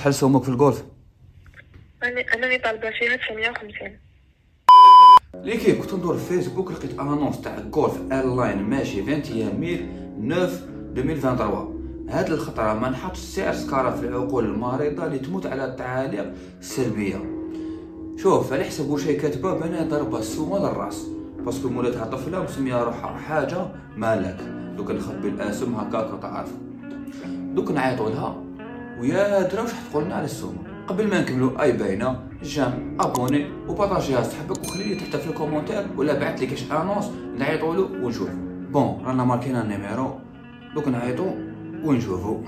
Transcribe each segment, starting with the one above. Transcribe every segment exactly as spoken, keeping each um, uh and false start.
شحال سومك في الجولف؟ انا انا اللي طالبه فيها تسعمية وخمسين. l'équipe كنت ندور في فيسبوك لقيت annonce تاع Golf R-Line ماشي واحد وعشرين mille neuf ألفين وثلاثة وعشرين. هاد الخطرة ما نحطش السعر سكارة في العقول المريضة اللي تموت على التعاليق السلبية. شوف على حسب واش هي كاتبه بنا ضربه السومه للراس، parce que مولاتها طفله مسميه روحها حاجة مالك، دوك نخبي الاسم هكاك وتعرف. دوك نعيطوا لها ويا درا واش تقولنا على السومه. قبل ما نكملوا اي باينة j'aime abonner وبارطاجيها صاحبك وخلي لي تحت في ال commentaire ولا بعث لي كاش annonce نعيطوا له ونشوف. bon رانا ماركينا ال numéro، دوك نعيطوا ونشوفوا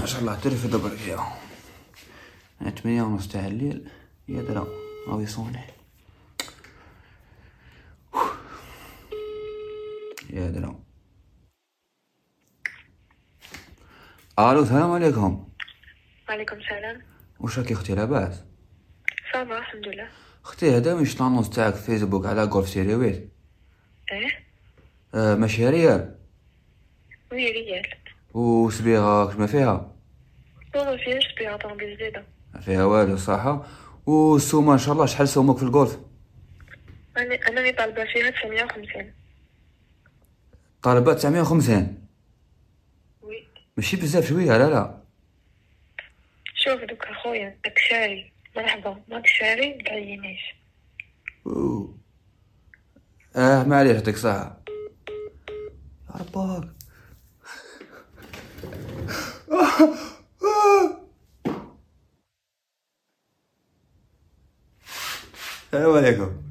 ان شاء الله ترفد بركيه. ثمانية ونص تاع الليل يا درا راهو يصوني يا درا. الو السلام عليكم. وعليكم السلام. واش راكي اختي لاباس؟ ça va الحمد لله. اختي هذا مش l'annonce تاعك في فيسبوك على Golf série huit؟ ايه آه ماشي réel؟ oui réel. وصبيغه كش ما فيها؟ ما فيهاش صبيغه، طوموبيل جديدة ما فيها والو صح. والسومه ان شاء الله شحال سومك في الجولف؟ انا انا اللي طالبه فيها تسعمية وخمسين. طالبه تسعمية وخمسين؟ oui. ماشي بزاف شوية؟ لا لا شوف دوك اخويا راك شاري مرحبا، ماك شاري متعينيش. اه معليش يعطيك صحة يا ربك. السلام عليكم.